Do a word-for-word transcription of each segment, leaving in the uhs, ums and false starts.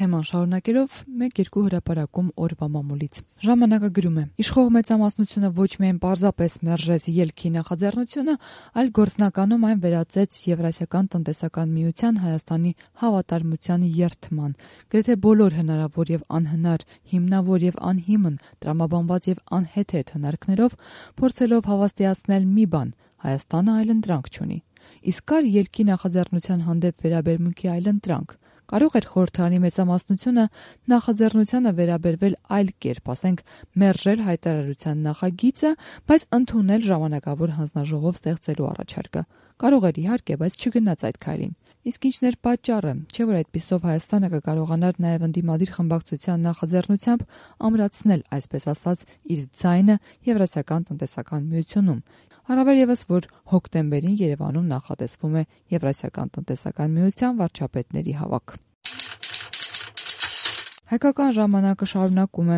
Թեման շարունակելով մեկ-երկու հրապարակում օրվա մամուլից։ Ժամանակը գրում է. Իշխող մեծամասնությունը ոչ միայն պարզապես մերժեց ելքի նախաձեռնությունը, այլ գործնականում այն վերածեց Եվրասիական տնտեսական միության Հայաստանի հավատարմության երդման։ Գրեթե բոլոր հնարավոր եւ անհնար, հիմնավոր եւ անհիմն, տրամաբանված եւ անհեթեթ հնարքներով փորձելով հավաստիացնել մի բան՝ Հայաստանը այլընտրանք չունի։ Իսկ կար ելքի նախաձեռնության հանդեպ վերաբերմունքի այլընտրանք։ Կարող էր խորհրդարանի մեծամասնությունը նախաձեռնությանը վերաբերվել այլ կերպ, ասենք մերժել հայտարարության նախագիծը, բայց ընդունել ժամանակավոր հանձնաժողով ստեղծելու առաջարկը։ Կարող էր իհարկե, բայց չգնաց այդ քայլին։ Իսկ ինչն էր պատճառը, չէ՞ որ այդպիսով Հայաստանը կկարողանար նաև ընդդիմադիր խմբակցության նախաձեռնությամբ ամրացնել, այսպես ասած, իր ձայնը Եվրասիական տնտեսական միությունում։ Առավել ևս, որ հոկտեմբերին Երևանում նախատեսվում է Եվրասիական տնտեսական միության վարչապետների հավաք։ Հայկական ժամանակը շարունակում է.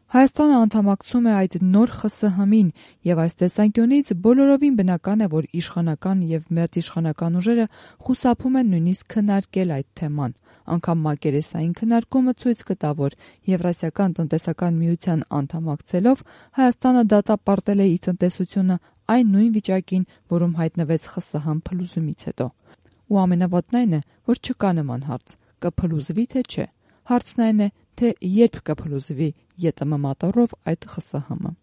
Հայաստանը անդամակցում է այդ նոր Խ ՍՀՄ -ին, եւ այս տեսանկյունից բոլորովին բնական է, որ իշխանական եւ մերձիշխանական ուժերը խուսափում են նույնիսկ քննարկել այդ թեման։ Անգամ մակերեսային քննարկումը ցույց կտա, որ Եվրասիական տնտեսական միության անդամակցելով Հայաստանը դատապարտել է իր տնտեսությունը այն նույն վիճակին, որում հայտնվեց Խ ՍՀՄ փլուզումից հետո։ Ու ամենավատն այն է, որ չկա նման հարց՝ կփլուզվի թե չէ։ Հարցն այն է, թե երբ կփլուզվի ԵՏՄ մատառով այդ Խ ՍՀՄ-ը։